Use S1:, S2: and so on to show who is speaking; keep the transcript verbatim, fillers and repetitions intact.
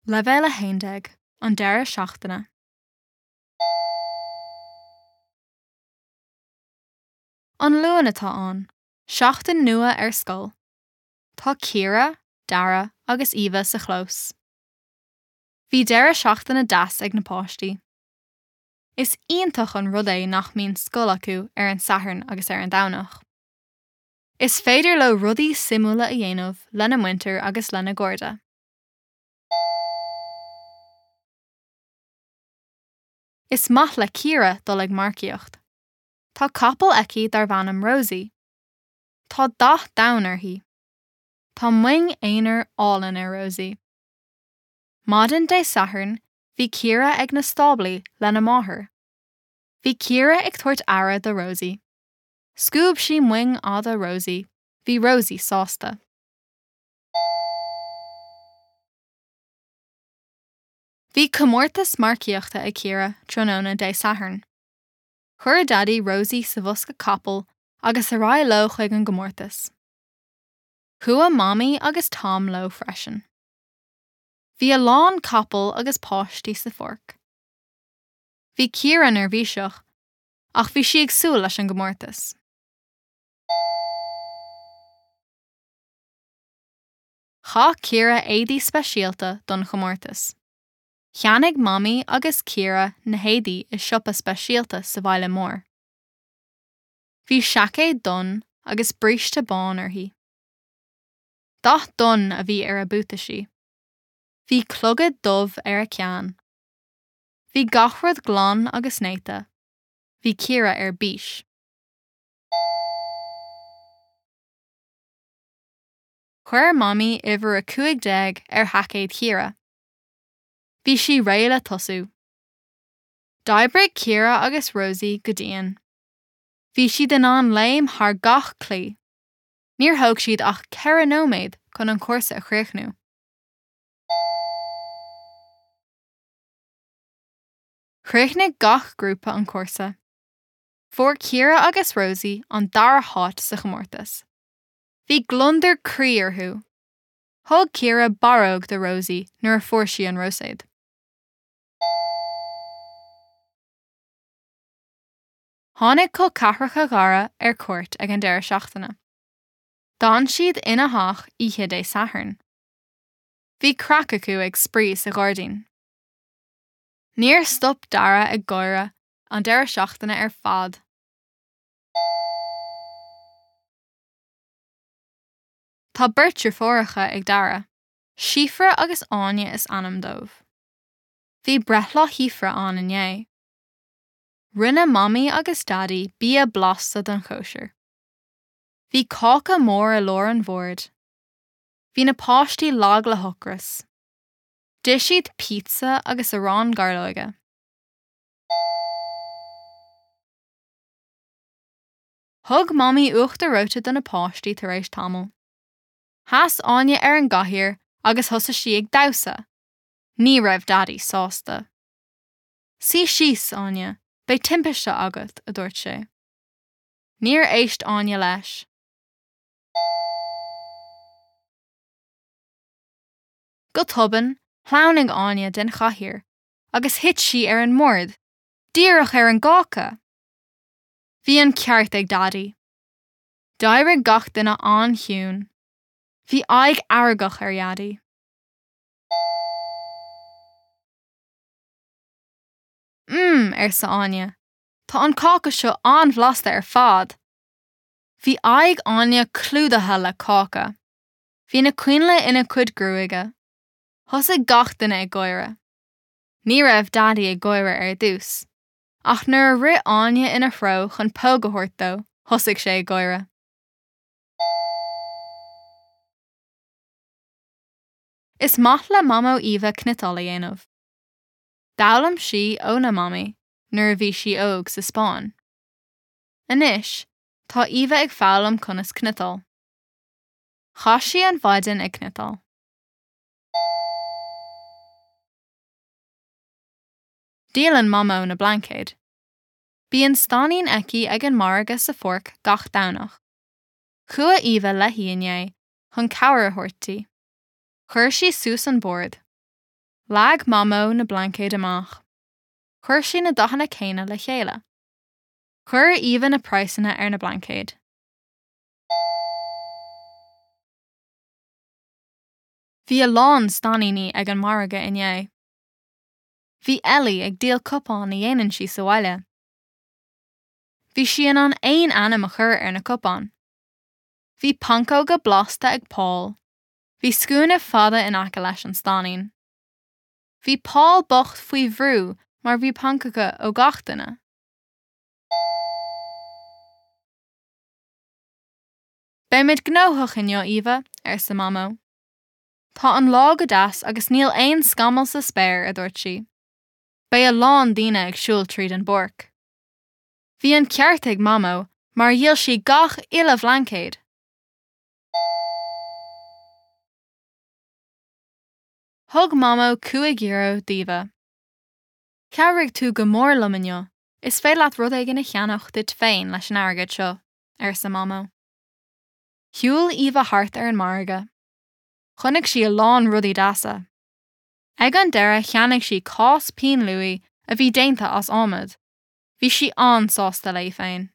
S1: Leibhéal a haon déag, An deireadh seachtaine. An Luan atá ann, seachtain nua ar scoil. Tá Ciara, Dara agus Eva sa chlós. Bhí deireadh seachtaine deas ag na páistí. Is iontach an rud é nach mbíonn scoil acu ar an Satharn agus ar an Domhnach. Is féidir leo rudaí suimiúla a dhéanamh lena muintir agus lena gcairde. Is maith le Ciara dul ag marcaíocht. Tá capall aici darb ainm Rosie. Tá dath donn uirthi. Tá moing aonair álainn ar Rosie. Maidin Dé Sathairn bhí Ciara ag na stáblaí lena máthair. Bhí Ciara ag tabhairt aire do Rosie. Scuab sí moing fhada Rosie, bhí Rosie sásta. Bhí comórtas marcaíochta ag Ciara tráthnóna Dé Sathairn. Chuir Daidí Rosie sa bhosca capall agus ar aghaidh leo chuig an gcomórtas. Chuaigh Mamaí agus Tom leo freisin. Bhí a lán capall agus páistí sa pháirc. Bhí Ciara neirbhíseach, ach bhí sí ag súil leis an gcomórtas. Chaith Ciara éadaí speisialta don chomórtas. Cheannaigh Mamaí agus Ciara na héadaí i siopa speisialta sa bhaile mór. Bhí seaicéad donn agus bríste bán uirthi. Dath donn a bhí ar a buataisí. Bhí clogad dubh ar a ceann. Bhí gach rud glan agus néata. Bhí Ciara ar bís. Chuir Mamaí uimhir a cúig déag ar sheaicéad Chiara. Bhí sí réidh le tosú. D'oibrigh Ciara agus Rosie go dian. Bhí siad in ann léim thar gach claí. Níor thóg siad ach ceithre nóiméad chun an cúrsa a chríochnú. Chríochnaigh gach grúpa an cúrsa. Fuair Ciara agus Rosie an dara háit sa chomórtas. Bhí gliondar croí orthu. Thug Ciara barróg do Rosie nuair a fuair sí an roiséad. Tháinig col ceathracha Dhara ar cuairt ag an deireadh seachtaine. D'fhan siad ina theach oíche Dé Sathairn. Bhí craic acu ag spraoi sa ghairdín. Níor stop Dara ag gáire an deireadh seachtaine ar fad. Tá beirt deirfiúracha ag Dara, Síofra agus Áine is ainm dóibh. Bhí breithlá Shíofra ann inné. Rinne Mamaí agus Daidí bia blasta don chóisir. Bhí cáca mór i lár an bhoird. Bhí na páistí lag le hocras. D'ith siad pizza agus arán gairleoige. Thug Mamaí uachtar reoite do na páistí tar éis tamaill. Sheas Áine ar an gcathaoir agus thosaigh sí ag damhsa. Ní raibh Daidí sásta. Suigh síos, Áine, beidh timpiste agat, a dúirt sé. Níor éist Áine leis. Go tobann, shleamhnaigh Áine den chathaoir agus thit sí ar an mbord, díreach ar an gcáca! Bhí an ceart ag Daidí. D'éirigh gach duine an-chiúin. Bhí aghaidh fheargach ar Dhaidí. Mmm, arsa Áine, tá an cáca seo an-bhlasta ar fad! Bhí aghaidh Áine clúdaithe le cáca. Bhí na coinnle ina cuid gruaige. Thosaigh gach duine ag gáire. Ní raibh Daidí ag gáire ar dtús, ach nuair a rith Áine ina threo chun póg a thabhairt dó, thosaigh sé ag gáire. Is maith le Mamó Eva cniotáil a dhéanamh. D'fhoghlaim sí óna Mamaí nuair a bhí sí óg sa Spáinn. Anois, tá Eva ag foghlaim conas cniotáil. Chaith sí an mhaidin ag cniotáil. Díolann Mamó na blaincéid. Bíonn stainnín aici ag an margadh sa pháirc gach Domhnach. Chuaigh Eva léi inné chun cabhair a thabhairt di. Chuir sí suas an bord. Leag Mamó na blaincéid amach. Chuir sí na dathanna céanna le chéile. Chuir Eva na praghsanna ar na blaincéid. Bhí a lán stainníní ag an margadh inné. Bhí Ellie ag díol cupán a dhéanann sí sa bhaile. Bhí sí in ann aon ainm a chur ar na cupáin. Bhí pancóga blasta ag Paul. Bhí scuaine fada in aice leis an stainnín. Bhí Paul bocht faoi bhrú mar bhí pancóga ó gach duine. Beimid gnóthach inniu Eva, arsa Mamó. Tá an lá go deas agus níl aon scamall sa spéir a dúirt sí. Beidh a lán daoine ag siúl tríd an bpáirc. Bhí an ceart ag Mamó mar dhíol sí gach uile bhlaincéad. Thug Mamó cúig euro d'Eva. Chabhraigh tú go mór liom inniu, is féidir leat rud éigin a cheannach duit féin leis an airgead seo, arsa Mamó. Shiúil Eva thart ar an margadh. Chonaic sí a lán rudaí deasa. Ag an deireadh cheannaigh sí cás pinn luaidhe a bhí déanta as adhmad. Bhí sí an-sásta léi féin.